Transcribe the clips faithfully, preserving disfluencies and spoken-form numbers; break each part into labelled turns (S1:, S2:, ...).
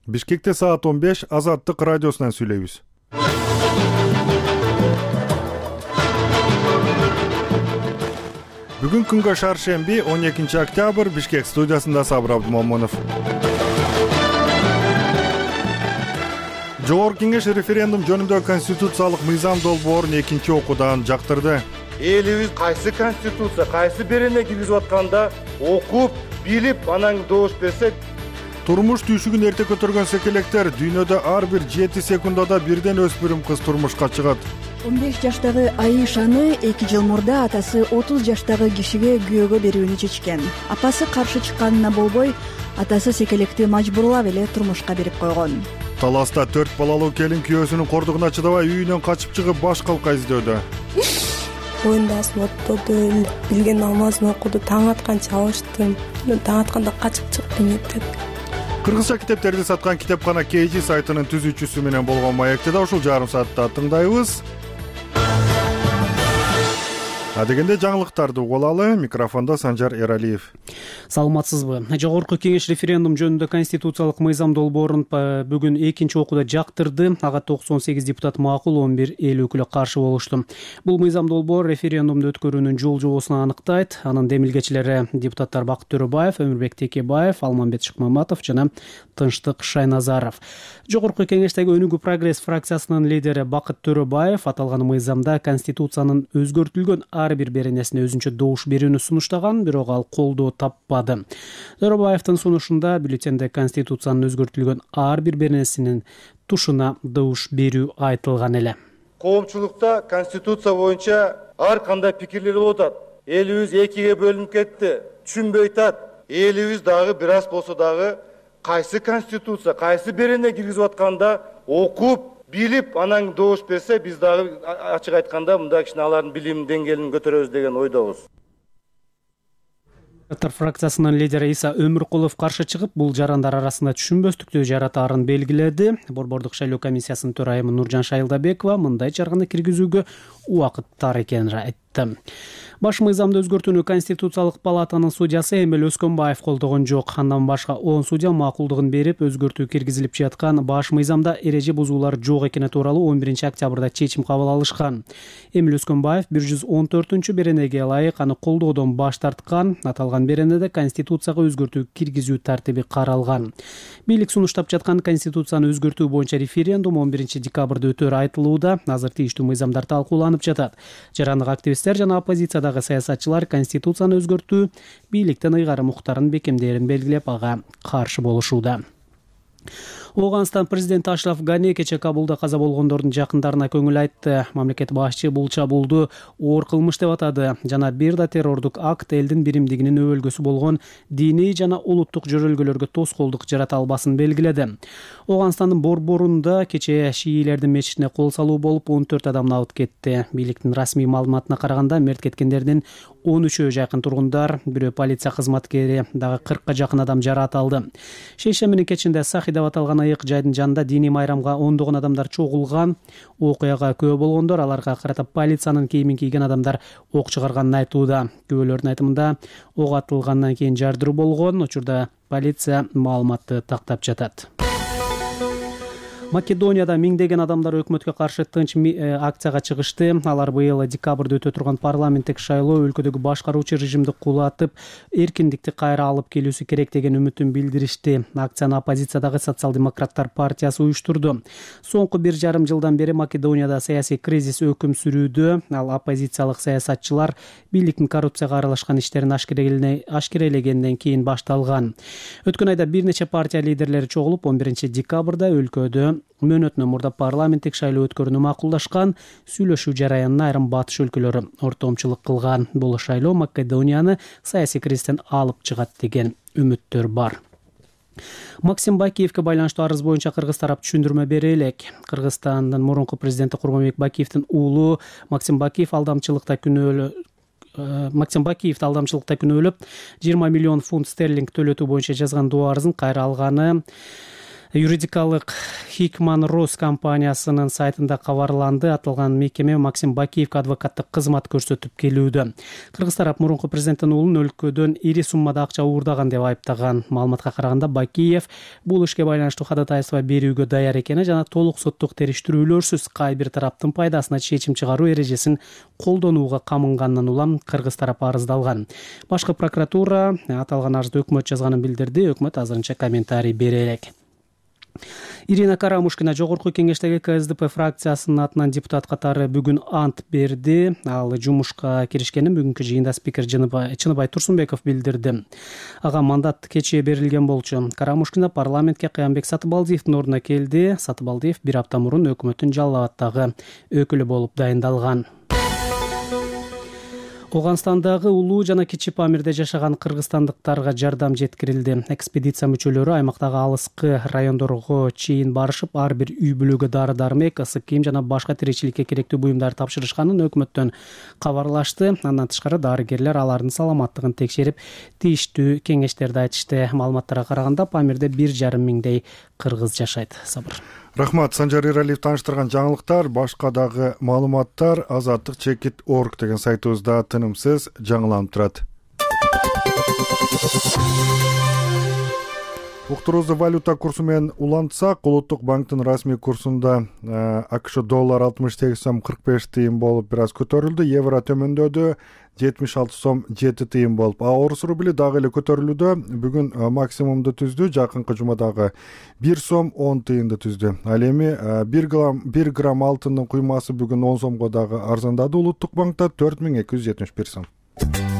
S1: Бишкекте саат он беш Азаттык радиосунан сүйлөйбүз. Бүгүн күнгө шаршемби он экинчи октябрь, Бишкек студиясында Сабыр Абдумомунов. Жогорку Кеңеш референдум жөнүндө конституциялык мыйзам долбоорун экинчи окуудан жактырды.
S2: Элибиз кайсы конституция, кайсы берене киргизип атканда окуп, билип, анан добуш берсе.
S1: Турмуш түйшүгүн эрте көтөргөн секелектер дүйнөдө ар бир жети секундада бирден өспүрүм кыз турмушка чыгат.
S3: он беш жаштагы Айышаны эки жыл мурда атасы отуз жаштагы кишиге күйөөгө берүүнү чечкен. Апасы каршы чыкканына болбой, атасы секелекти мажбурлап эле турмушка берип койгон.
S1: Таласта төрт балалуу келин күйөөсүнүн кордугуна чыдабай үйүнөн качып чыгып баш калка издөөдө.
S4: Оюндасын оттоду, билген намазын окуду, таң атканча алыштым. Таң атканда качып чыктым мектепке.
S1: Кыргызча китептерди саткан китепкана кей жи сайтынын түзүүчүсү менен болгон маекти да ушул жарым саатта тыңдайбыз. Адегенде жаңылыктарды угуп алалы. Микрофондо Санжар Эралиев.
S5: Саламатсызбы? Жогорку Кеңеш референдум жөнүндө конституциялык мыйзам долбоорун бүгүн экинчи окууда жактырды. Ага токсон сегиз депутат макул, он бир эл өкүлү каршы болушту. Бул мыйзам долбоор референдумду өткөрүүнүн жол жобосун аныктайт. Анын демилгечилери депутаттар Бакыт Төрөбаев, Өмүрбек Текебаев, Алмамбет Шыкмаматов жана Тынчтык Шайназаров. Жогорку Кеңештеги Өнүгүү прогресс фракциясынын лидери Бакыт Төрөбаев аталган мыйзамда конституциянын өзгөртүлгөн ар бир беренесине өзүнчө добуш берүүнү сунуштаган, бирок ал колдоо таппады. Төрөбаевдин сунушунда бюллетенде конституциянын өзгөртүлгөн ар бир беренесинин тушуна добуш берүү айтылган эле.
S2: Коомчулукта конституция боюнча ар кандай пикирлер болуп атат. Элибиз экиге бөлүнүп кетти, түшүнбөй атат. Элибиз дагы бир аз болсо дагы кайсы конституция, кайсы берене киргизип атканда окуп, билип, анан добуш берсе, биз дагы ачык айтканда мындай кичине алардын билим деңгээлин көтөрөбүз деген ойдобуз.
S5: Депутаттар фракциясынын лидери Иса Өмүркулов каршы чыгып, бул жарандар арасында түшүнбөстүктү жаратаарын белгиледи. Борбордук шайлоо комиссиясынын төрайымы Нуржан Шайылдабекова мындай чаргыны киргизүүгө убакыт тар экенин айтты. Баш мыйзамды өзгөртүүнү Конституциялык палатанын судьясы Эмил Өскөнбаев колдогон жок. Андан башка он судья макулдугун берип, өзгөртүү киргизилип жаткан баш мыйзамда эреже бузуулар жок экени тууралуу он биринчи октябрда чечим кабыл алышкан. Эмил Өскөнбаев бир жүз он төртүнчү беренеге ылайык аны колдоодон баш тарткан. Аталган беренеде Конституцияга өзгөртүү киргизүү тартиби каралган. Бийлик сунуштап жаткан Конституцияны өзгөртүү боюнча референдум он биринчи декабрда өтөөрү айтылууда. Азыр тийиштүү мыйзамдар талкууланып жатат. Жарандык активисттер жана оппозиция саясатчылар конституцияны өзгөртүү бийликтин ыйгарым укуктарын бекемдээрин белгилеп, ага каршы болушууда. Оганстан президенти Ашраф Гани кечээ Кабулда каза болгондордун жакындарына көңүл айтты. Мамлекет башчы бул чабуулду оор кылмыш деп атады жана бир да террордук акт элдин биримдигинин өбөлгөсү болгон диний жана улуттук жөрөлгөлөргө тоскоолдук жарата албасын белгиледи. Оганстандын борборунда кечээ шиилердин мечитине кол салуу болуп он төрт адам абыт кетти. Бийликтин расмий маалыматына караганда мерт кеткендердин он үчөө жакын тургундар, бирөө полиция кызматкери, дагы кыркка жакын адам жараат алды. Шейшембинин кечинде Сахи деп аталган айык жайдын жанында диний майрамга ондогон адамдар чогулган. Окуяга күбө болгондор аларга карата полициянын кийимин кийген адамдар ок чыгарганын айтууда. Күбөлөрдүн айтымында ок атылгандан кийин жардыруу болгон. Учурда полиция маалыматты тактап жатат. Македонияда миңдеген адамдар өкмөткө каршы тынч акцияга чыгышты. Алар быйыл декабрда өтө турган парламенттик шайлоо өлкөдөгү башкаруучу режимди кулатып, эркиндикти кайра алып келүүсү керек деген үмүтүн билдиришти. Акцияны оппозициядагы социал-демократтар партиясы уюштурду. Соңку бир жарым жылдан бери Македонияда саясий кризис өкүм сүрүүдө. Ал оппозициялык саясатчылар бийликтин коррупцияга аралашкан иштерин ашкерелегенден кийин башталган. Өткөн айда бир нече партия лидерлери чогулуп, он биринчи декабрда өлкөдө мөөнөтүнөн мурда парламенттик шайлоо өткөрүүнү макулдашкан. Сүйлөшүү жараянына айрым батыш өлкөлөрү ортомчулук кылган. Бул шайлоо Македонияны саясий кризистен алып чыгат деген үмүттөр бар. Максим Бакиевке байланыштуу арыз боюнча кыргыз тарап түшүндүрмө бере элек. Кыргызстандын мурунку президенти Курманбек Бакиевдин уулу Максим Бакиев алдамчылыкта күнөөлө Максим Бакиевди алдамчылыкта күнөөлөп жыйырма миллион фунт стерлинг төлөтүү боюнча жазган доо арызын кайра алганы Юридикалык Хикман Рус компаниясынын сайтында кабарланды. Аталган мекеме Максим Бакиевге адвокаттык кызмат көрсөтүп келүүдө. Кыргыз тарап мурунку президенттин уулун өлкөдөн ири суммада акча уурдаган деп айыптаган. Маалыматка караганда Бакиев бул ишке байланыштуу ходатайство берүүгө даяр экени жана толук соттук териштирүүлөрсүз кай бир тараптын пайдасына чечим чыгаруу эрежесин колдонууга камынгандан улам Кыргыз тарап арыздалган. Башкы прокуратура аталган арызды өкмөт жазганын билдирди. Өкмөт азырынча комментарий бере элек. Ирина Карамушкина жогорку кеңештеги КСДП фракциясынын атынан депутат катары бүгүн ант берди. Ал жумушка киришкенин бүгүнкү жыйында спикер Чыныбай Турсунбеков билдирди. Ага мандат кечээ берилген болчу. Карамушкина парламентке Кыянбек Сатыбалдиевдин ордуна келди. Сатыбалдиев бир апта мурун өкмөттүн Жалал абаддагы өкүлү болуп дайындалган. Оганстандагы Улуу жана Кичи Памирде жашаган кыргызстандыктарга жардам жеткирилди. Экспедиция мүчөлөрү аймактагы алыскы райондорго чейин барышып, ар бир үй бүлөгө дары-дармек, ысык кийим жана башка тиричиликке керектүү буюмдар тапшырышканын өкмөттөн кабарлашты. Андан тышкары дарыгерлер алардын саламаттыгын текшерип, тийиштүү кеңештерди айтышты. Маалыматтарга караганда Памирде бир жарым миңдей кыргыз жашайт. Сабыр.
S1: Рахмат, Санжар Иралиев таныштырган жаңылыктар, башка дагы маалыматтар азаттык чекит точка орг деген сайтыбызда тынымсыз жаңыланып турат. Уктуруубузду валюта курсу менен улантсак, Улуттук банктын расмий курсунда АКШ доллар алтымыш сегиз сом кырк беш тыйын болуп бир аз көтөрүлдү, евро төмөндөдү, жетимиш алты сом жети тыйын болуп. А орус рубли дагы эле көтөрүлүүдө, бүгүн максимумду түздү, жакынкы жумадагы бир сом он тыйынды түздү. Ал эми бир грамм бир грамм алтындын куймасы бүгүн он сомго дагы арзандады. Улуттук банкта төрт миң эки жүз жетимиш бир сом.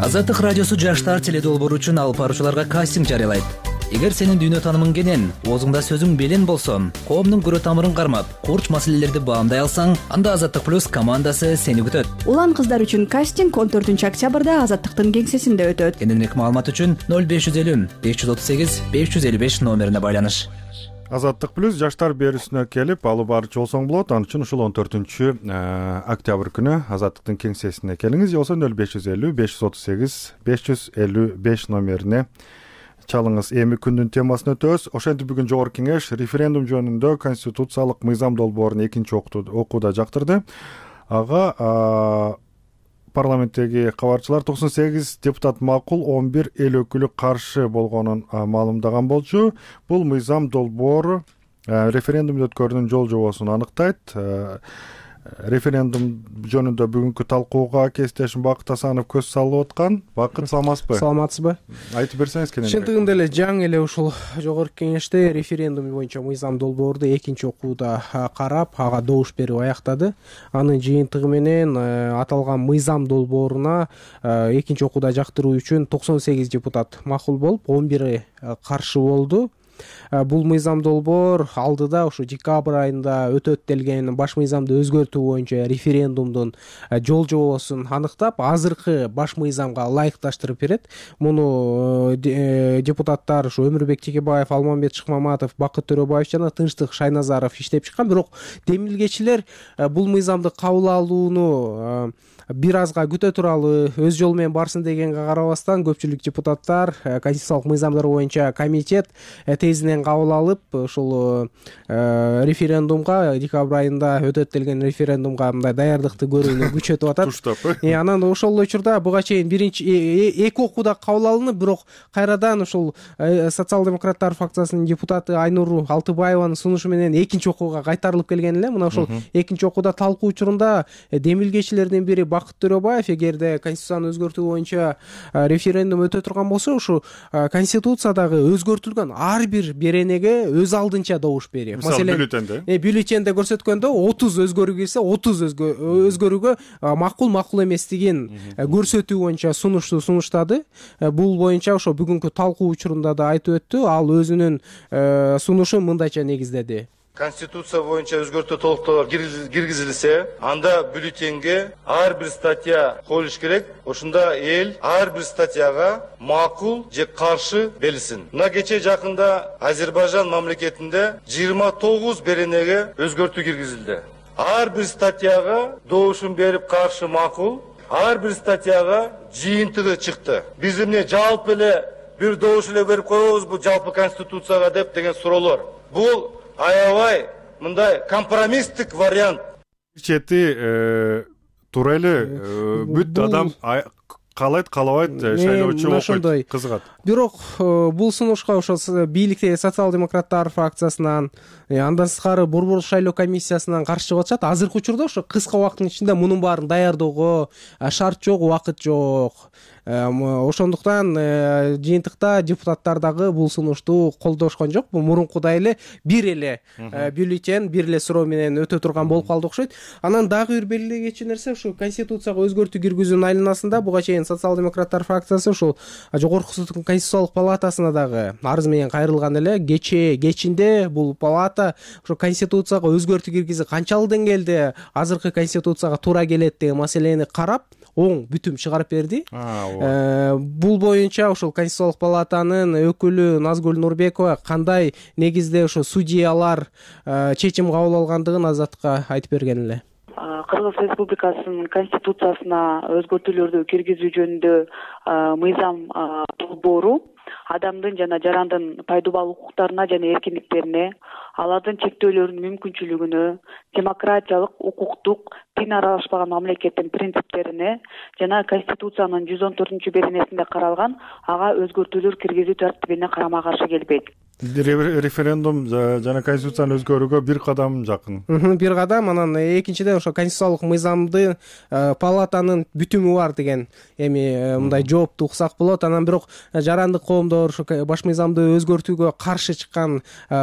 S6: Азаттык радиосу жаштар теледолбоору үчүн алып баруучуларга кастинг жарыялайт. Эгер сенин дүйнө таанымың кенен, оозуңда сөзүң белен болсо, коомдун көрө тамырын кармап, курч маселелерди баамдай алсаң, анда Азаттык плюс командасы сени күтөт.
S3: Улан кыздар үчүн кастинг он төртүнчү октябрда Азаттыктын кеңсесинде өтөт.
S6: Кененирээк маалымат үчүн ноль беш жүз элүү беш жүз отуз сегиз беш жүз элүү беш номерине байланыш.
S1: Азаттык плюс жаштар берүүсүнө келип алып барчу болсоң болот. Ал үчүн ушул он төртүнчү октябрь күнү Азаттыктын кеңсесине келиңиз, же болбосо ноль беш жүз элүү беш жүз отуз сегиз беш жүз элүү беш номерине чалыңыз. Эми күндүн темасын өтөбүз. Ошентип бүгүн жогорку кеңеш референдум жөнүндө конституциялык мыйзам долбоорун экинчи окууда жактырды. Ага парламенттеги кабарчылар токсон сегиз депутат макул, он бир эл өкүлү каршы болгонун маалымдаган болчу. Бул мыйзам долбоору референдум өткөрүүнүн жол жобосун аныктайт. Референдум жөнүндө бүгүнкү талкууга кесиптешим Бакыт Асанов көз салып аткан. Бакыт, саламатсызбы?
S7: Саламатсызбы?
S1: Айтып берсеңиз кенен.
S7: Чындыгында эле жаңы эле ушул жогорку кеңеште референдум боюнча мыйзам долбоорду экинчи окууда карап, ага добуш берип аяктады. Анын жыйынтыгы менен аталган мыйзам долбооруна экинчи окууда жактыруу үчүн токсон сегиз депутат макул болуп, он бири каршы болду. Бул мыйзам долбоор алдыда ушу декабрь айында өтөт делген баш мыйзамды өзгөртүү боюнча референдумдун жол жобосун аныктап, азыркы баш мыйзамга ылайыкташтырып берет. Муну депутаттар ушу Өмүрбек Текебаев, Алмамбет Шыкмаматов, Бакыт Төрөбаев жана Тынчтык Шайназаров иштеп чыккан. Бирок демилгечилер бул мыйзамды кабыл алууну бир азга күтө туралы өз жолу менен барсын дегенге карабастан, көпчүлүк депутаттар конституциялык мыйзамдар боюнча комитет тезинен кабыл алып, ушул референдумга, декабрь айында өтөт делген референдумга мындай даярдыкты көрүүнү күчөтүп атат. И анан ошол учурда буга чейин биринчи эки окууда кабыл алынып, бирок кайрадан ушул социал-демократтар фракциясынын депутаты Айнур Алтыбаеванын сунушу менен экинчи окууга кайтарылып келген эле. Мына ушул экинчи окууда талкуу учурунда демилгечилердин бири Бакыт Төрөбаев, эгерде конституцияны өзгөртүү боюнча референдум өтө турган болсо, ушу конституциядагы өзгөртүлгөн ар бир беренеге өз алдынча добуш берип.
S1: Маселен, бюллетенде
S7: бюллетенде көрсөткөндө отуз өзгөрүү кирсе, отуз өзгөрүүгө макул, макул эместигин көрсөтүү боюнча сунушту сунуштады. Бул боюнча ошо бүгүнкү талкуу учурунда да айтып өттү. Ал өзүнүн сунушун мындайча негиздеди.
S2: Конституция боюнча өзгөртүү толуктоолор киргизилсе, анда бюллетенге ар бир статья коюлуш керек. Ошондо эл ар бир статьяга макул же каршы белсин. Мына кече жакында Азербайжан мамлекетинде жыйырма тогуз беренеге өзгөртүү киргизилди. Ар бир статьяга добушун берип каршы макул, ар бир статьяга жыйынтыгы чыкты. Биз эмне жалпы эле бир добуш эле берип коебузбу жалпы конституцияга деп деген суроолор. Бул аябай мындай компромисстик вариант.
S1: Чети туура эле бүт адам каалайт каалабайт шайлоочу окуйт, кызыгат.
S7: Бирок бул сунушка ошо бийликтеги социал-демократтар фракциясынан, андан сырткары борбордук шайлоо комиссиясынан каршы чыгып атышат. Азыркы учурда ошо кыска убакыттын ичинде мунун баарын даярдоого шарт жок, убакыт жок. Ошондуктан жыйынтыкта депутаттар дагы бул сунушту колдошкон жок. Бул мурункудай эле бир эле бюллетень, бир эле суроо менен өтө турган болуп калды окшойт. Анан дагы бир белгилей кетчү нерсе ушу конституцияга өзгөртүү киргизүүнүн айланасында буга чейин социал-демократтар фракциясы ушул жогорку соттун конституциялык палатасына дагы арыз менен кайрылган эле. Кечээ кечинде бул палата ошо конституцияга өзгөртүү киргизип канчалык деңгээлде азыркы конституцияга туура келет деген маселени карап оң бүтүм чыгарып берди. Бул боюнча ошол конституциялык палатанын өкүлү Назгүл Нурбекова кандай негизде ошо судьялар чечим кабыл алгандыгын Азатка айтып берген эле.
S8: Кыргыз Республикасынын конституциясына өзгөртүүлөрдү киргизүү жөнүндө мыйзам долбоору адамдын жана жарандын пайдубал укуктарына жана эркиндиктерине, алардын чектөөлөрүнүн мүмкүнчүлүгүнө, демократиялык, укуктук, дин аралашпаган мамлекеттин принциптерине жана Конституциянын жүз он төртүнчү беренесинде каралган ага өзгөртүүлөр киргизүү тартибине карама каршы келбейт.
S1: Референдум жана конституцияны өзгөрүүгө бир кадам жакын.
S7: Бир кадам, анан экинчиден ошо конституциялык мыйзамды палатанын бүтүмү бар деген эми мындай жоопту уксак болот. Анан бирок жарандык коомдор ошо баш мыйзамды өзгөртүүгө каршы чыккан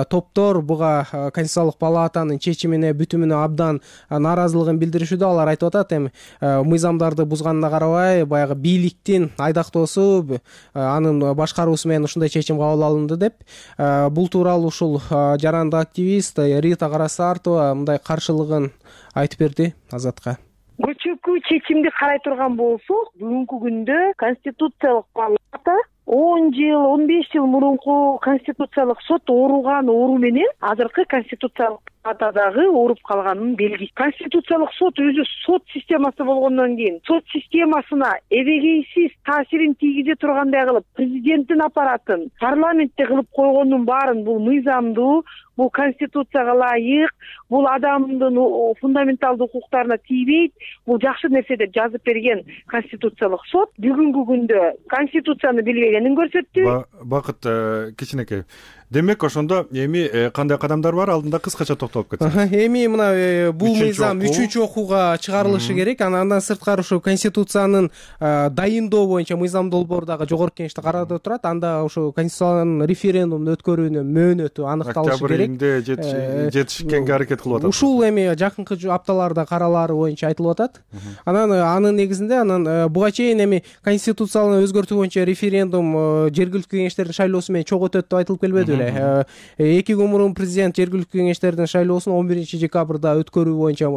S7: топтор буга конституциялык палатанын чечимине, бүтүмүнө абдан нааразылыгын билдиришүүдө. Алар айтып атат, эми мыйзамдарды бузганына карабай, баягы бийликтин айдактоосу, анын башкаруусу менен ушундай чечим кабыл алынды деп. Бул тууралуу ушул жарандык активист Рита Карасартова мындай каршылыгын айтып берди Азатка.
S9: Көчөкү чечимди карай турган болсок, бүгүнкү күндө конституциялык палата он жыл, он беш жыл мурунку конституциялык сот ооруган оору менен азыркы конституциялык палатадагы ооруп калганын белгиси. Конституциялык сот өзү сот системасы болгондон кийин сот системасына эбегейсиз таасирин тийгизе тургандай кылып президенттин аппаратын парламентте кылып койгондун баарын бул мыйзамдуу, бул конституцияга ылайык, бул адамдын фундаменталдуу укуктарына тийбейт, бул жакшы нерсе деп жазып берген конституциялык сот бүгүнкү күндө конституцияны билбегенин көрсөттү.
S1: Бакыт кичинекей. Демек ошондо эми кандай кадамдар бар, алдында кыскача токтолуп кетсеңиз.
S7: Эми мына бул мыйзам үчүнчү окууга чыгарылышы керек. Андан сырткары ошо конституциянын дайындоо боюнча мыйзам долбоору дагы жогорку кеңеште каралып турат. Анда ошо конституциянын референдумду өткөрүүнүн мөөнөтү аныкталышы керек.
S1: Октябрь жетишкенге аракет кылып атат.
S7: Ушул эми жакынкы апталарда каралаары боюнча айтылып атат. Анан анын негизинде анан буга чейин эми конституциялык өзгөртүү боюнча референдум жергиликтүү кеңештердин шайлоосу менен чогуу өтөт деп айтылып келбеди. Эки күн мурун президент жергиликтүү кеңештердин шайлоосун он биринчи декабрда өткөрүү боюнча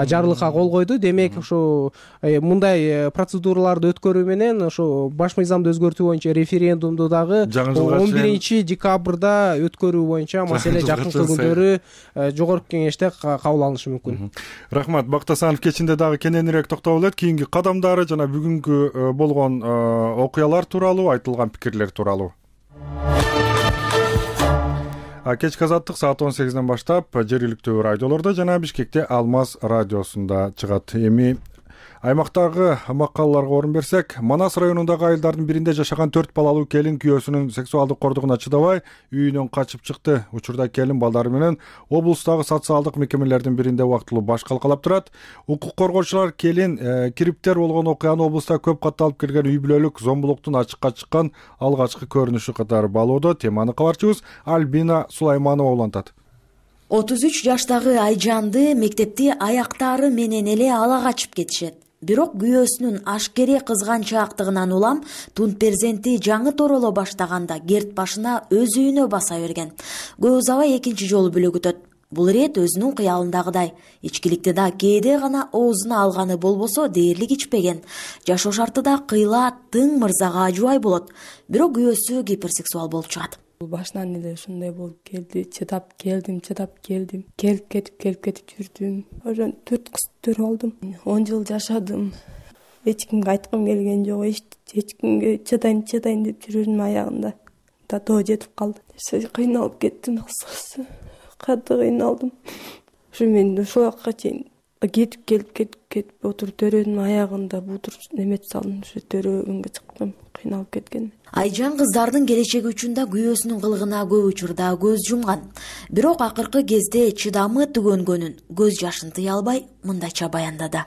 S7: жарлыкка кол койду. Демек ошо мындай процедураларды өткөрүү менен ошо баш мыйзамды өзгөртүү боюнча референдумду дагы он биринчи декабрда өткөрүү боюнча маселе жакынкы күндөрү жогорку кеңеште кабыл алынышы мүмкүн.
S1: Рахмат. Бактасанов кечинде дагы кененирээк токтолуп элек кийинки кадамдары жана бүгүнкү болгон окуялар тууралуу, айтылган пикирлер тууралуу. Кечки азаттык саат он сегизден баштап жергиликтүү радиолордо жана Бишкекте Алмаз радиосунда чыгат. Эми аймактагы макалаларга орун берсек, Манас районундагы айылдардын биринде жашаган төрт балалуу келин күйөөсүнүн сексуалдык кордугуна чыдабай үйүнөн качып чыкты. Учурда келин балдары менен облустагы социалдык мекемелердин биринде убактылуу баш калкалап турат. Укук коргоочулар келин кириптер болгон окуяны облуста көп катталып келген үй бүлөлүк зомбулуктун ачыкка чыккан алгачкы көрүнүшү катары баалоодо. Теманы кабарчыбыз Альбина Сулайманова улантат.
S10: отуз үч жаштагы Айжанды мектепти аяктары менен эле ала качып кетишет. Бирок күйөөсүнүн ашкере кызганчаактыгынан улам тун перзенти жаңы тороло баштаганда керт башына өз үйүнө баса берген. Көп узабай экинчи жолу бүлөк өтөт. Бул ирет өзүнүн кыялындагыдай ичкиликти да кээде гана оозуна алганы болбосо дээрлик ичпеген. Жашоо шарты да кыйла тың мырзага жубай болот. Бирок күйөөсү гиперсексуал болуп чыгат.
S4: Башынан эле ушундай болуп келди. Чыдап келдим, чыдап келдим. Келип кетип, келип кетип жүрдүм. Ошон төрт кыз төрөп алдым. он жыл жашадым. эч кимге айткым келген жок, эч кимге чыдайм чыдайм деп жүрөрүм, аягында татоо жетип калды. Кыйналып кеттим, кыскасы катты кыйналдым. Ушу мен ушул жакка чейин кетип келип кетип кетип отуруп төрөнүн аягында бутур неметип салдым, ушу төрөгөнгө чыктым, кыйналып кеткен.
S10: Айжан кыздардын келечеги үчүн да күйөөсүнүн кылыгына көп учурда көз жумган. Бирок акыркы кезде чыдамы түгөнгөнүн көз жашын тыя албай мындайча баяндады.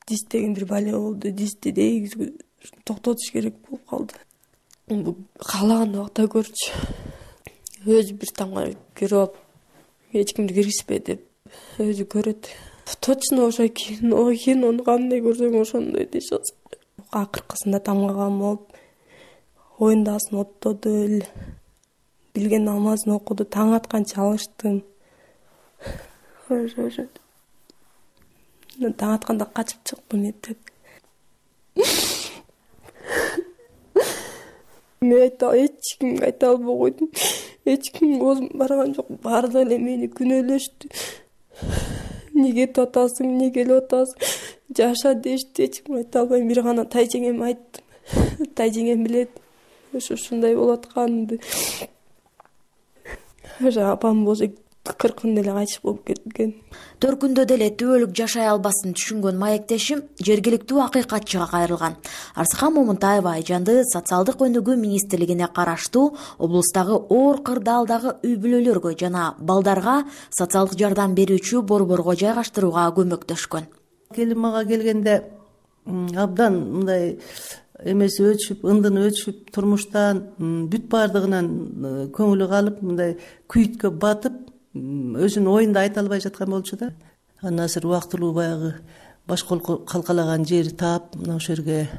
S4: Диз деген бир бале болду, дизди дегизүү токтотуш керек болуп калды. Каалаган убакта көрчү. Өзү бир тамга кирип алып, эч кимди киргизбе деп өзү көрөт. Точно ошо кино, кинону кандай көрсөң ошондой дешет. Акыркысында тамгаган болуп, оюндасын оттоду эле. Билген намазын окуду, таң атканча алыштым. Ошо. Таң атканда качып чыктым эптеп. Мен айта, эч кимге айта албай койдум. Эч ким оозум барган жок. Баары эле мени күнөөлөштү. Неге татасың, неге эле атасың, жаша дешти. Эч ким айта албайм. Бир гана тайжеңеме айттым. Тайжеңем билет ошо ушундай болуп атканымды. Ошо апам болсо кыркында эле кайтыш болуп кеткен.
S10: Төркүндө деле түбөлүк жашай албасын түшүнгөн маектешим жергиликтүү акыйкатчыга кайрылган. Арсыкан Момунтаева Айжанды социалдык өнүгүү министрлигине караштуу облустагы оор кырдаалдагы үй бүлөлөргө жана балдарга социалдык жардам берүүчү борборго жайгаштырууга көмөктөшкөн.
S11: Келин мага келгенде абдан мындай эмеси өчүп, ындыны өчүп, турмуштан бүт баардыгынан көңүлү калып, мындай күйүткө батып, өзүнүн оюнда айта албай жаткан болчу да. Андан азыр убактылуу баягы баш кол калкалаган жери таап, мына ошол жерге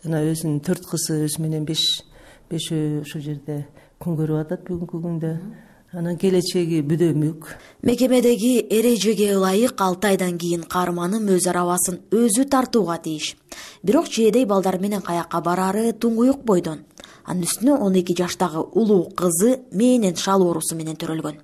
S11: жана өзүнүн төрт кызы өзү менен беш бешөө ошол жерде күн көрүп атат бүгүнкү күндө. Анан келечеги бүдөмүк.
S10: Мекемедеги эрежеге ылайык алты айдан кийин каарманым өз арабасын өзү тартууга тийиш. Бирок чээдей балдар менен каякка барары туңгуюк бойдон. Анын үстүнө он эки жаштагы улуу кызы мээнен шал оорусу менен төрөлгөн.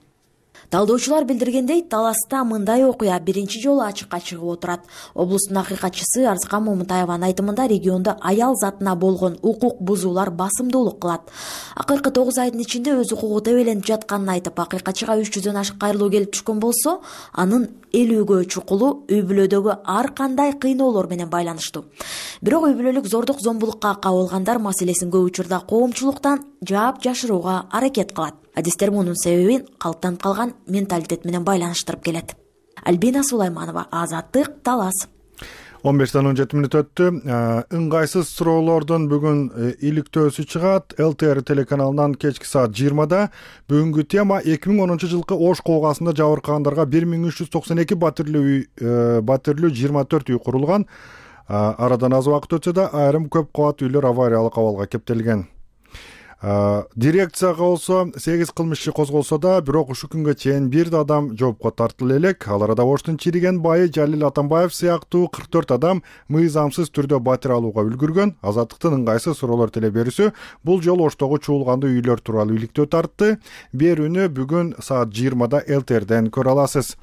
S10: Талдоочулар билдиргендей, Таласта мындай окуя биринчи жолу ачыкка чыгып отурат. Облустун акыйкатчысы Арсыкан Момунтаеванын айтымында региондо аял затына болгон укук бузуулар басымдуулук кылат. Акыркы тогуз айдын ичинде өз укугу тебеленип жатканын айтып, акыйкатчыга үч жүздөн ашык кайрылуу келип түшкөн болсо, анын элүүгө чукулу үй бүлөдөгү ар кандай кыйноолор менен байланыштуу. Бирок үй бүлөлүк зордук зомбулукка кабылгандар маселесин көп учурда коомчулуктан жаап жашырууга аракет кылат. Адистер мунун себебин калыптанып калган менталитет менен байланыштырып келет. Альбина Сулайманова, Азаттык, Талас.
S1: он бештен он жети мүнөт өттү. Ыңгайсыз суроолордун бүгүн иликтөөсү чыгат. эл тэ эр телеканалынан кечки саат жыйырмада. Бүгүнкү тема эки миң онунчу жылкы Ош коогасында жабыркагандарга бир миң үч жүз токсон эки батирлүү үй, батирлүү жыйырма төрт үй курулган. Арадан аз убакыт өтсө да айрым көп кабат үйлөр авариялык абалга кептелген. Дирекцияга болсо сегиз кылмышчы козголсо да, бирок ушул күнгө чейин бир да адам жоопко тартылып элек. Ал арада Оштун чириген байы Жалил Атамбаев сыяктуу кырк төрт адам мыйзамсыз түрдө батир алууга үлгүргөн. Азаттыктын ыңгайсыз суроолор теле берүүсү бул жолу Оштогу чуулгандуу үйлөр тууралуу иликтөө тартты. Берүүнү бүгүн саат жыйырмада эл тэ эрден көрө аласыз.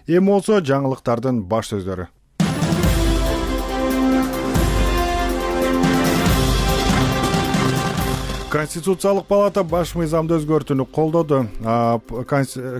S1: Эми болсо жаңылыктардын баш сөздөрү. Конституциялык палата баш мыйзамды өзгөртүүнү колдоду.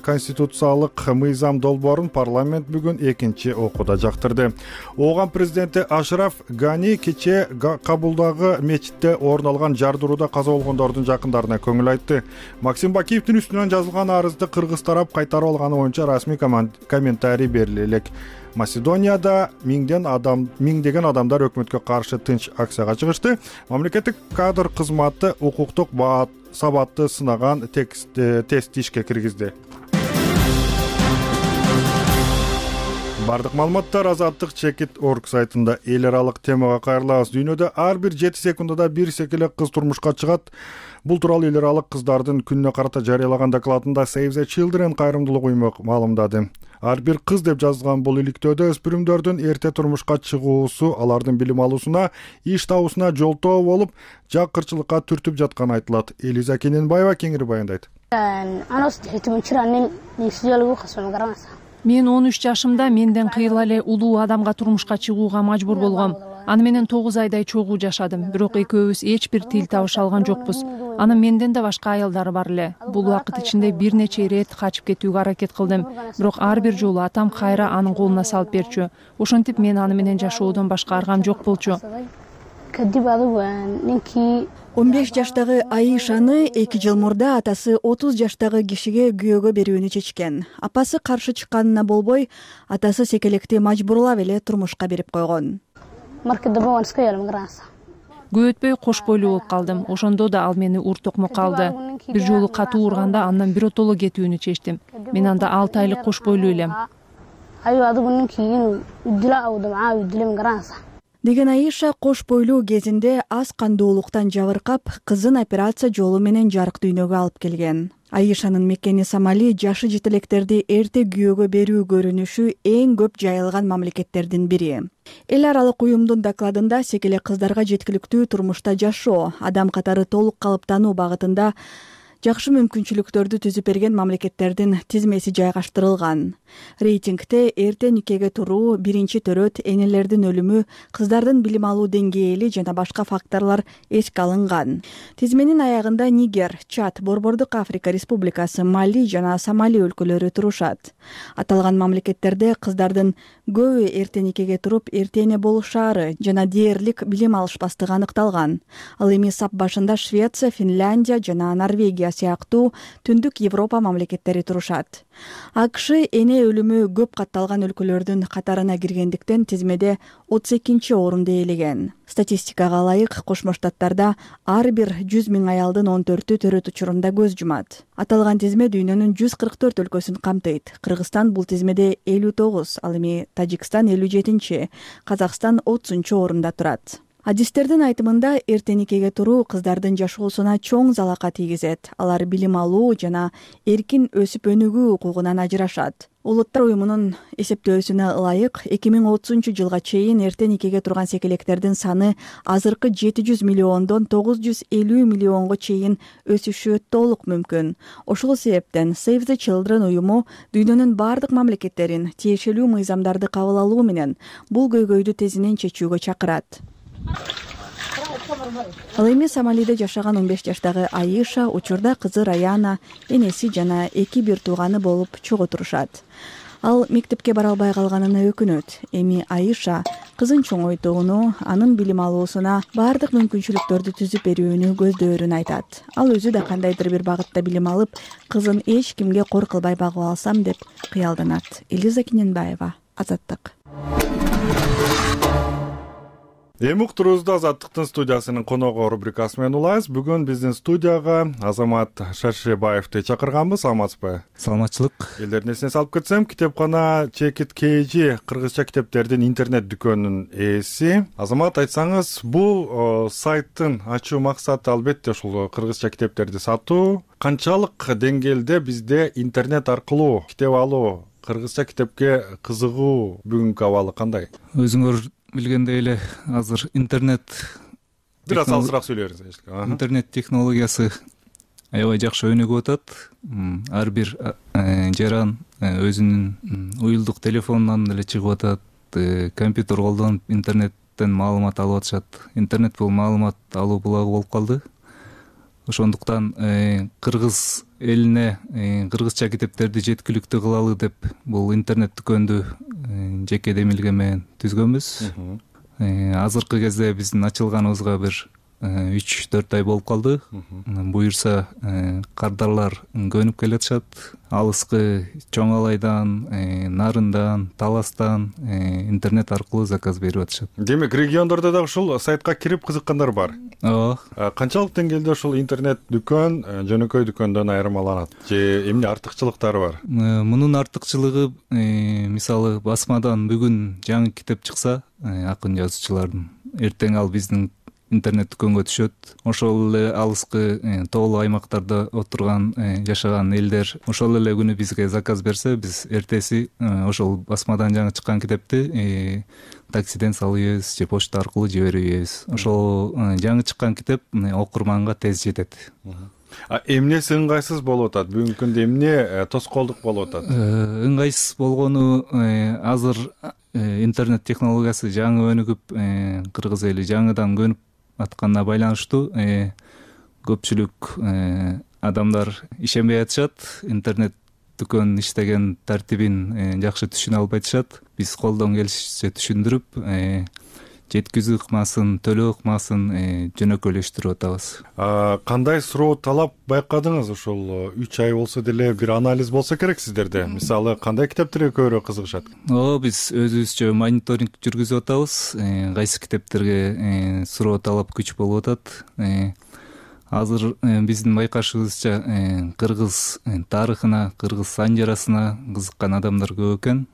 S1: Конституциялык мыйзам долбоорун парламент бүгүн экинчи окууда жактырды. Ооган президенти Ашраф Гани кече Кабулдагы мечитте орун алган жардырууда каза болгондордун жакындарына көңүл айтты. Максим Бакиевдин үстүнөн жазылган арызды кыргыз тарап кайтарып алганы боюнча расмий комментарий бериле элек. Македонияда миңден адам, миңдеген адамдар өкмөткө каршы тынч акцияга чыгышты. Мамлекеттик кадр кызматы укуктук сабатты сынаган тестти ишке киргизди. Бардык маалыматтар Азаттык чекит точка орг сайтында. Эл аралык темага кайрылабыз. Дүйнөдө ар бир жети секундада бир секеле кыз турмушка чыгат. Бул тууралуу эл аралык кыздардын күнүнө карата жарыялаган докладында Save the Children кайрымдуулук уюму маалымдады. Ар бир кыз деп жазылган бул иликтөөдө өспүрүмдөрдүн эрте турмушка чыгуусу алардын билим алуусуна, иш табуусуна жолтоо болуп, жакырчылыкка түртүп жатканы айтылат. Элиза Кененбаева кеңири баяндайт.
S12: Мен он үч жашымда менден кыйла эле улуу адамга турмушка чыгууга мажбур болгом. Аны менен тогуз айдай чогуу жашадым, бирок экөөбүз эч бир тил табыша алган жокпуз. Анын менден да башка аялдары бар эле. Бул убакыт ичинде бир нече ирет качып кетүүгө аракет кылдым, бирок ар бир жолу атам кайра анын колуна салып берчү. Ошентип мен аны менен жашоодон башка аргам жок болчу.
S3: он беш жаштагы Аишаны эки жыл мурда атасы отуз жаштагы кишиге күйөөгө берүүнү чечкен. Апасы каршы чыкканына болбой, атасы секелекти мажбурлап эле турмушка берип койгон.
S12: Көп өтпөй кош бойлуу болуп калдым. Ошондо да ал мени ур токмокко алды. Бир жолу катуу урганда андан биротоло кетүүнү чечтим. Мен анда алты айлык кош бойлуу элем.
S3: Деген Аиша кош бойлуу кезинде аз кандуулуктан жабыркап, кызын операция жолу менен жарык дүйнөгө алып келген. Аишанын мекени Сомали жашы жетелектерди эрте күйөөгө берүү көрүнүшү эң көп жайылган мамлекеттердин бири. Эл аралык уюмдун докладында секелек кыздарга жеткиликтүү турмушта жашоо, адам катары толук калыптануу багытында жакшы мүмкүнчүлүктөрдү түзүп берген мамлекеттердин тизмеси жайгаштырылган. Рейтингте эрте никеге туруу, биринчи төрөт, энелердин өлүмү, кыздардын билим алуу деңгээли жана башка факторлор эске алынган. Тизменин аягында Нигер, Чад, Борбордук Африка Республикасы, Мали жана Сомали өлкөлөрү турушат. Аталган мамлекеттерде кыздардын көбү эрте никеге туруп, эрте эне болушаары жана дээрлик билим алышпастыгы аныкталган. Ал эми сап башында Швеция, Финляндия жана Норвегия сыяктуу түндүк Европа мамлекеттери турушат. АКШ эне өлүмү көп катталган өлкөлөрдүн катарына киргендиктен тизмеде отуз экинчи орунду ээлеген. Статистикага ылайык Кошмо Штаттарда ар бир жүз миң аялдын он төртү төрөт учурунда көз жумат. Аталган тизме дүйнөнүн жүз кырк төрт өлкөсүн камтыйт. Кыргызстан бул тизмеде элүү тогуз, ал эми Тажикстан элүү жетинчи, Казакстан отузунчу орунда турат. Адистердин айтымында эрте никеге туруу кыздардын жашоосуна чоң залака тийгизет. Алар билим алуу жана эркин өсүп өнүгүү укугунан ажырашат. Улуттар уюмунун эсептөөсүнө ылайык эки миң отузунчу жылга чейин эрте никеге турган секелектердин саны азыркы жети жүз миллиондон тогуз жүз элүү миллионго чейин өсүшү толук мүмкүн. Ошол себептен Save the Children уюму дүйнөнүн бардык мамлекеттерин тиешелүү мыйзамдарды кабыл алуу менен бул көйгөйдү тезинен чечүүгө чакырат. Ал эми Сомалиде жашаган он беш жаштагы Аиша учурда кызы Раяна, энеси жана эки бир тууганы болуп чогуу турушат. Ал мектепке бара албай калганына өкүнөт. Эми Аиша кызын чоңойтууну, анын билим алуусуна бардык мүмкүнчүлүктөрдү түзүп берүүнү көздөөрүн айтат. Ал өзү да кандайдыр бир багытта билим алып, кызын эч кимге кор кылбай багып алсам деп кыялданат. Элиза Киненбаева, Азаттык.
S1: Эми уктуруубузду Азаттыктын студиясынын коногу рубрикасы менен улайбыз. Бүгүн биздин студияга Азамат Шаршебаевди чакырганбыз. Саламатсызбы?
S13: Саламатчылык.
S1: Элдердин эсине салып кетсем, китепкана Чекит Кейжи кыргызча китептердин интернет дүкөнүнүн ээси. Азамат, айтсаңыз, бул сайттын ачуу максаты албетте ушул кыргызча китептерди сатуу. Канчалык деңгээлде бизде интернет аркылуу китеп алуу, кыргызча китепке кызыгуу бүгүнкү абалы кандай?
S13: Өзүңөр билгендей эле азыр интернет
S1: бир аз алысыраак сүйлөңүз.
S13: Интернет технологиясы аябай жакшы өнүгүп атат. Ар бир жаран өзүнүн уюлдук телефонунан эле чыгып атат, компьютер колдонуп интернеттен маалымат алып атышат. Интернет бул маалымат алуу булагы болуп калды. Ошондуктан кыргыз элине кыргызча китептерди жеткиликтүү кылалы деп бул интернет дүкөндү жеке демилге менен түзгөнбүз. Азыркы кезде биздин ачылганыбызга бир үч төрт ай болуп калды. Буюрса кардарлар көнүп келатышат. Алыскы Чоң Алайдан, Нарындан, Таластан интернет аркылуу заказ берип атышат.
S1: Демек, региондордо да ушул сайтка кирип кызыккандар бар.
S13: Ооба.
S1: Канчалык деңгээлде ушул интернет дүкөн жөнөкөй дүкөндөн айырмаланат? Же эмне артыкчылыктары бар?
S13: Мунун артыкчылыгы, мисалы, басмадан бүгүн жаңы китеп чыкса, акын жазуучулардын, эртең ал биздин интернет дүкөнгө түшөт. Ошол эле алыскы тоолуу аймактарда отурган жашаган элдер ошол эле күнү бизге заказ берсе, биз эртеси ошол басмадан жаңы чыккан китепти таксиден салып ийебиз же почта аркылуу жиберип ийебиз. Ошол жаңы чыккан китеп окурманга тез жетет.
S1: Эмнеси ыңгайсыз болуп атат? Бүгүнкү күндө эмне тоскоолдук болуп атат?
S13: Ыңгайсыз болгону азыр интернет технологиясы жаңы өнүгүп кыргыз эли жаңыдан көнүп атканына байланыштуу көпчүлүк адамдар ишенбей атышат, интернет дүкөн иштеген тартибин жакшы түшүнө албайтышат. Биз колдон келишинче түшүндүрүп, жеткизүү ыкмасын, төлөө ыкмасын жөнөкөйлөштүрүп атабыз.
S1: Кандай суроо талап байкадыңыз? Ушул үч ай болсо деле бир анализ болсо керек сиздерде. Мисалы, кандай китептерге көбүрөөк кызыгышат?
S13: Ооба, биз өзүбүзчө мониторинг жүргүзүп атабыз. Кайсы китептерге суроо талап күч болуп атат. Азыр биздин байкашыбызча кыргыз тарыхына, кыргыз санжарасына кызыккан адамдар көп экен.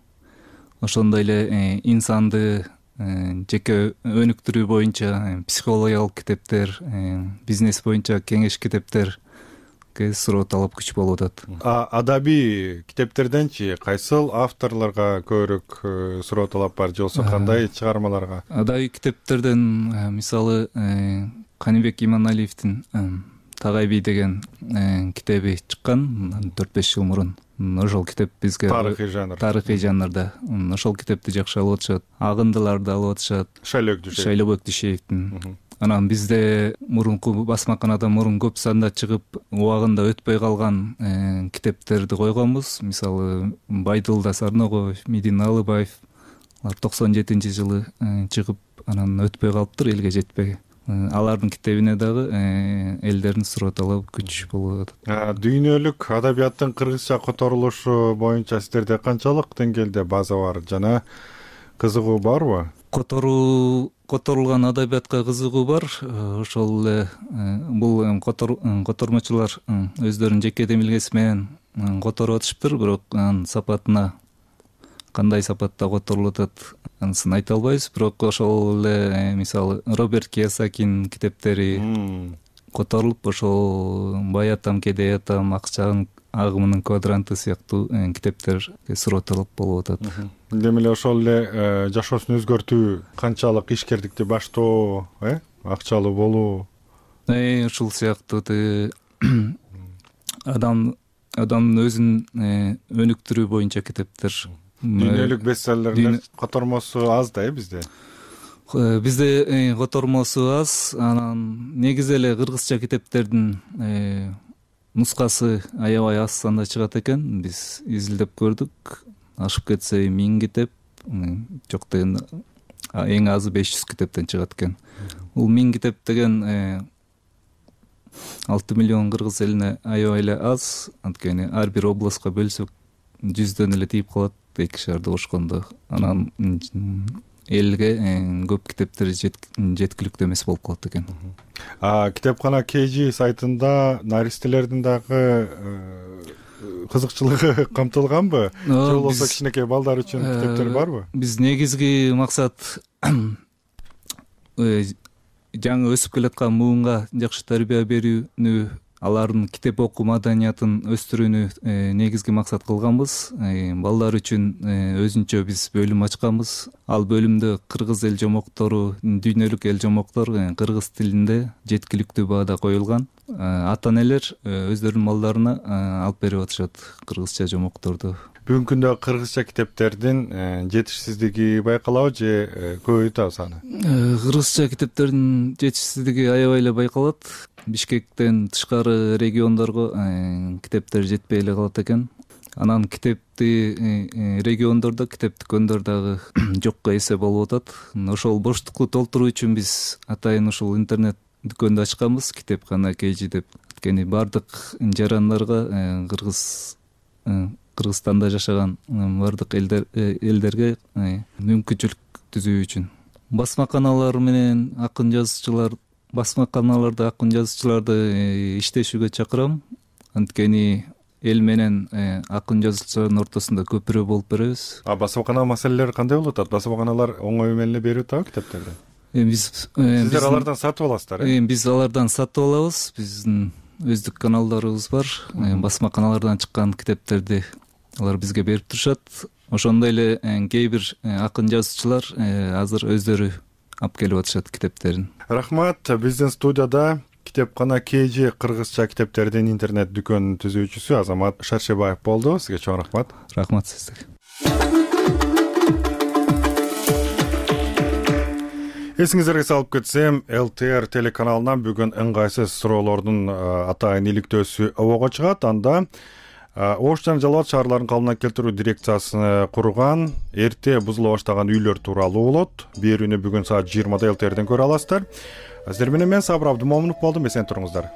S13: Ошондой эле инсанды жеке өнүктүрүү боюнча психологиялык китептер, бизнес боюнча кеңеш китептерге суроо талап күч болуп атат.
S1: Адабий китептерденчи кайсыл авторлорго көбүрөөк суроо талап бар, же болбосо кандай чыгармаларга?
S13: Адабий китептерден мисалы Каныбек Иманалиевдин Тагай бий деген китеби чыккан төрт беш жыл мурун. Ошол китеп бизге
S1: тарыхый жанр.
S13: Тарыхый жанрда. Ошол китепти жакшы алып атышат. Агындыларды алып атышат.
S1: Шайлөк Дүйшеев.
S13: Шайлөбек Дүйшеевдин. Анан бизде мурунку басмаканада мурун көп санда чыгып, убагында өтпөй калган китептерди койгонбуз. Мисалы, Байдылда Сарного, Мидин Алыбаев алар токсон жетинчи жылы чыгып, анан өтпөй калыптыр, элге жетпей. Алардын китебине дагы элдердин суроо талабы күч болуп атат.
S1: Дүйнөлүк адабияттын кыргызча которулушу боюнча сиздерде канчалык деңгээлде база бар жана кызыгуу барбы?
S13: Которуу которулган адабиятка кызыгуу бар. Ошол эле бул котормочулар өздөрүнүн жеке демилгеси менен которуп атышыптыр, бирок анын сапатына кандай сапатта которулуп атат анысын айта албайбыз. Бирок ошол эле мисалы Роберт Кийосакинин китептери которулуп, ошол Бай атам, Кедей атам, Акчанын агымынын квадранты сыяктуу китептерге суроо талап болуп атат.
S1: Демек эле ошол эле жашоосун өзгөртүү, канчалык ишкердикти баштоо, э, акчалуу болуу,
S13: ушул сыяктуу адам адамдын өзүн өнүктүрүү боюнча китептер.
S1: Дүйнөлүк бестселлерлер котормосу аз да, э, бизде.
S13: Бизде котормосу аз, анан негизи эле кыргызча китептердин нускасы аябай аз санда чыгат экен. Биз изилдеп көрдүк. Ашып кетсе миң китеп, жок деген эң азы беш жүз китептен чыгат экен. Бул миң китеп деген алты миллион кыргыз элине аябай эле аз. Анткени ар бир областка бөлсөк жүздөн эле тийип калат, эки шаарда кошкондо. Анан элге көп китептер жеткиликтүү эмес болуп калат экен.
S1: Китепкана кей жи сайтында наристелердин дагы кызыкчылыгы камтылганбы? Же болбосо кичинекей балдар үчүн китептер барбы?
S13: Биз негизги максат жаңы өсүп келаткан муунга жакшы тарбия берүүнү, алардын китеп окуу маданиятын өстүрүүнү негизги максат кылганбыз. Балдар үчүн өзүнчө биз бөлүм ачканбыз. Ал бөлүмдө кыргыз эл жомоктору, дүйнөлүк эл жомоктор кыргыз тилинде жеткиликтүү баада коюлган. Ата-энелер өздөрүнүн балдарына алып берип атышат кыргызча жомокторду.
S1: Бүгүнкү күндө кыргызча китептердин жетишсиздиги байкалабы же көбөйтөбүз саны?
S13: Кыргызча китептердин жетишсиздиги аябай эле байкалат. Бишкектен тышкары региондорго китептер жетпей эле калат экен. Анан китепти региондордо, китеп дүкөндөр дагы жокко эсе болуп атат. Ошол боштукту толтуруу үчүн биз атайын ушул интернет дүкөндү ачканбыз, китепкана кей жи деп. Анткени бардык жарандарга, кыргыз Кыргызстанда жашаган бардык элдерге мүмкүнчүлүк түзүү үчүн басмаканалар менен акын жазуучулар басмаканаларда акын жазуучуларды иштешүүгө чакырам. Анткени эл менен акын жазуучулардын ортосунда көпүрө болуп беребиз.
S1: А басмакана маселелери кандай болуп атат? Басмаканалар оңой менен берип атабы китептерди?
S13: Биз
S1: сиздер алардан сатып аласыздар, э?
S13: Биз алардан сатып алабыз. Биздин өздүк каналдарыбыз бар. Басмаканалардан чыккан китептерди алар бизге берип турушат. Ошондой эле кээ бир акын жазуучулар азыр өздөрү алып келип атышат китептерин.
S1: Рахмат. Биздин студияда китепкана кей жи кыргызча китептердин интернет дүкөнүнүн түзүүчүсү Азамат Шаршебаев болду. Сизге чоң рахмат.
S13: Рахмат сизге.
S1: Эсиңиздерге салып кетсем, эл тэ эр телеканалынан бүгүн ыңгайсыз суроолордун атайын иликтөөсү обого чыгат. Анда Ош жана Жалал абад шаарларын калыбына келтирүү дирекциясын курган эрте бузула баштаган үйлөр тууралуу болот. Берүүнү бүгүн саат жыйырмада эл тэ эрден көрө аласыздар. Сиздер менен мен Сабыр Абдымомунов болдум. Эсен туруңуздар.